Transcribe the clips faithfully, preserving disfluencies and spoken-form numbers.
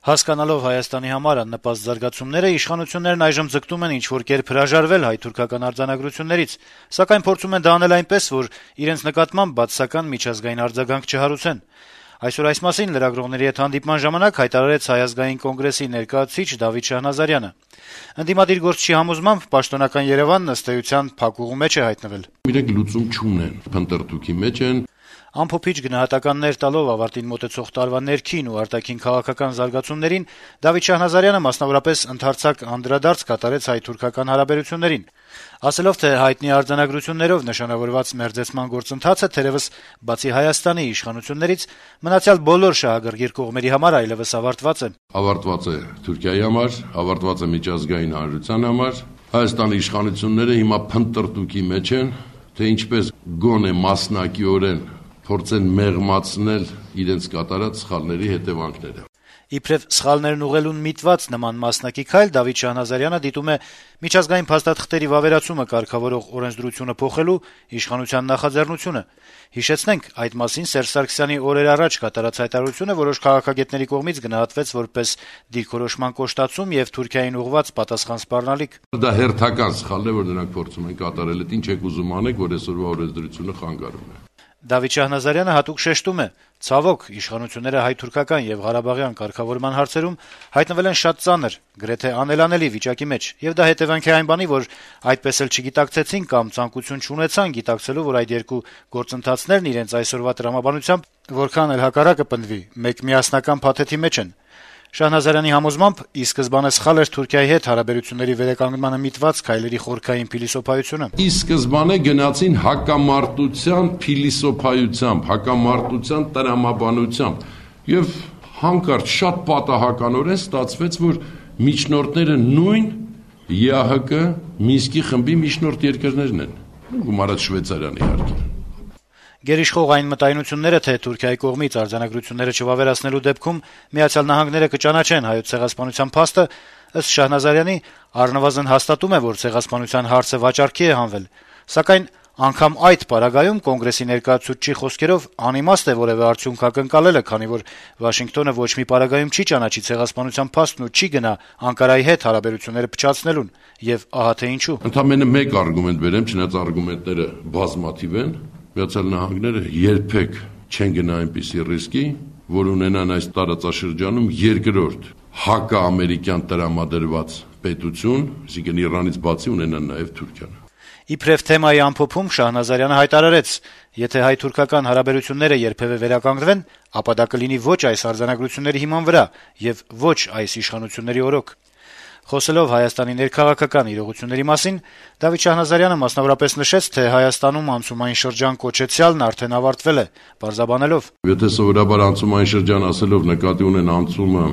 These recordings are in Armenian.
Հասկանալով Հայաստանի համար աննպաստ զարգացումները, իշխանություններն այժմ ձգտում են ինչ-որ կերպ հրաժարվել հայ-թուրքական արձանագրություններից, սակայն փորձում են դա անել այնպես, որ իրենց նկատմամբ բացասական միջազգային արձագանք չհարուցեն։ Այսօր այս մասին լրագրողների հետ հանդիպման ժամանակ հայտարարեց Հայ ազգային կոնգրեսի ներկայացուցիչ Դավիթ Շահնազարյանը։ Ընդդիմադիր գործչի համոզմամբ պաշտոնական Երևանն ըստ էության փակուղու մեջ է հայտնվել։ Իրենք լուծում չունեն, փնտրտուքի մեջ են։ Ամփոփիչ գնահատականներ տալով ավարտին մոտեցող տարվա ներքին ու արտաքին քաղաքական զարգացումներին, Դավիթ Շահնազարյանը մասնավորապես ընդարձակ անդրադարձ կատարեց հայ-թուրքական հարաբերություններին, ասելով, թե հայտնի արձանագրություններով նշանավորված մերձեցման գործընթացը թերևս բացի Հայաստանի իշխանություններից մնացյալ բոլոր շահագրգիռ կողմերի համար այլևս ավարտված է։ Ավարտված է Թուրքիայի համար, ավարտված է միջազգային հանրության համար։ Հայաստանի իշխանությունները հիմա փնտրտուքի մեջ են, թե ինչպես գոնե մասնակիորեն փորձեն մեղմացնել իրենց կատարած սխալների հետևանքները։ Իբրև սխալներն ուղղելուն միտված նման մասնակի քայլ Դավիթ Շահնազարյանը դիտում է միջազգային փաստաթղթերի վավերացումը կարգավորող օրենսդրությունը փոխելու իշխանության նախաձեռնությունը։ Հիշեցնենք, այդ մասին Սերժ Սարգսյանի օրեր առաջ կատարած հայտարարությունը որոշ քաղաքագետների կողմից գնահատվեց որպես դիրքորոշման կոշտացում եւ Թուրքիային ուղղված պատասխան սպառնալիք։ Դա հերթական սխալ է, որ նրանք փորձում են կատարել, այդ ինչ եք ուզում անեք, որ այսօրվա օրենսդրությունը խանգարում է։ Դավիթ Շահնազարյանը հատուկ շեշտում է. ցավոք, իշխանությունները հայ-թուրքական եւ ղարաբաղյան կարգավորման հարցերում հայտնվել են շատ ծանր, գրեթե անելանելի վիճակի մեջ, եւ դա հետեւանք է այն բանի, որ այդպես էլ չգիտակցեցին կամ ցանկություն չունեցան գիտակցելու, որ այդ երկու գործընթացներն իրենց այսօրվա տրամաբանությամբ որքան էլ հակառակը պնդվի, մեկ միասնական փաթեթի մեջ են։ Շահնազարյանի համոզմամբ ի սկզբանե սխալ էր Թուրքիայի հետ հարաբերությունների վերականգնմանը միտված քայլերի խորքային փիլիսոփայությունը։ Ի սկզբանե գնացին հակամարտության փիլիսոփայությամբ, հակամարտության տրամաբանությամբ եւ հանկարծ շատ պատահականորեն ստացվեց, որ միջնորդները նույն ԵԱՀԿ Մինսկի խմբի միջնորդ երկրներն են։ Գումարած Շվեյցարիան իհարկե։ Գերիշխող այն մտայնությունները, թե Թուրքիայի կողմից արձանագրությունները չվավերացնելու դեպքում Միացյալ Նահանգները կճանաչեն հայոց ցեղասպանության փաստը, ըստ Շահնազարյանի, առնվազն հաստատում է, որ ցեղասպանության հարցը վաճառքի է հանվել, սակայն անգամ այդ պարագայում կոնգրեսի ներկայացուցչի խոսքերով անիմաստ է որևէ արդյունք ակնկալելը, քանի որ Վաշինգտոնը ոչ մի պարագայում չի ճանաչի ցեղասպանության փաստն ու չի գնա Անկարայի հետ հարաբերությունները փչացնելուն, եւ ահա թե ինչու։ Ընդամենը մեկ արգումենտ բերեմ, չնայած արգումենտները բազմաթիվ են։ Միացյալ Նահանգները երբեք չեն գնա այնպիսի ռիսկի, որ ունենան այս տարածաշրջանում երկրորդ հակաամերիկյան տրամադրված պետություն, այսինքն Իրանից բացի ունենան նաև Թուրքիան։ Իբրև թեմայի ամփոփում Շահնազարյանը հայտարարեց. եթե հայ-թուրքական հարաբերությունները երբևէ վերականգնվեն, ապա դա կլինի ոչ այս արձանագրությունների հիման վրա եւ ոչ այս իշխանությունների օրոք։ Խոսելով Հայաստանի ներքաղաքական իրողությունների մասին, Դավիթ Շահնազարյանը մասնավորապես նշեց, թե Հայաստանում անցումային շրջան կոչեցյալն արդեն ավարտվել է, պարզաբանելով. Եթե սովորաբար անցումային շրջան ասելով նկատի ունեն անցումը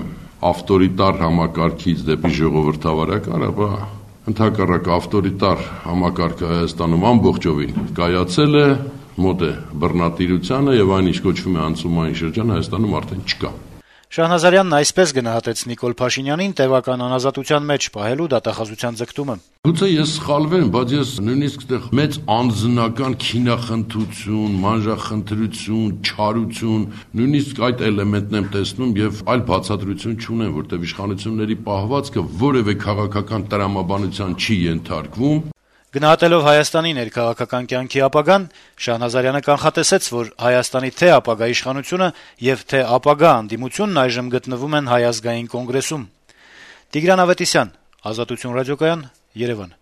ավտորիտար համակարգից դեպի ժողովրդավարական, ապա ընդհակառակ ավտորիտար համակարգը Հայաստանում ամբողջովին կայացել է, մոտ է բռնատիրությանը եւ այն ինչ կոչվում է անցումային շրջան Հայաստանում արդեն չկա։ Շահնազարյանն այսպես գնահատեց Նիկոլ Փաշինյանին տևական անազատության մեջ պահելու դատախազության ձգտումը։ Գուցե ես սխալվեմ, բայց ես նույնիսկ այդտեղ մեծ անձնական քինախնդրություն, մանրախնդրություն, չարություն, նույնիսկ այդ էլեմենտն եմ տեսնում եւ այլ բացատրություն չունեմ, որտեղ իշխանությունների պահվածքը որևէ քաղաքական տրամաբանության չի ենթարկվում։ Գնահատելով Հայաստանի ներքաղաքական կյանքի ապագան, Շահնազարյանը կանխատեսեց, որ Հայաստանի թե ապագա իշխանությունը եւ թե ապագա անդիմությունն այժմ գտնվում են Հայ ազգային կոնգրեսում։ Տիգրան Ավետիսյան, Ազատություն ռադիոկայան, Երևան։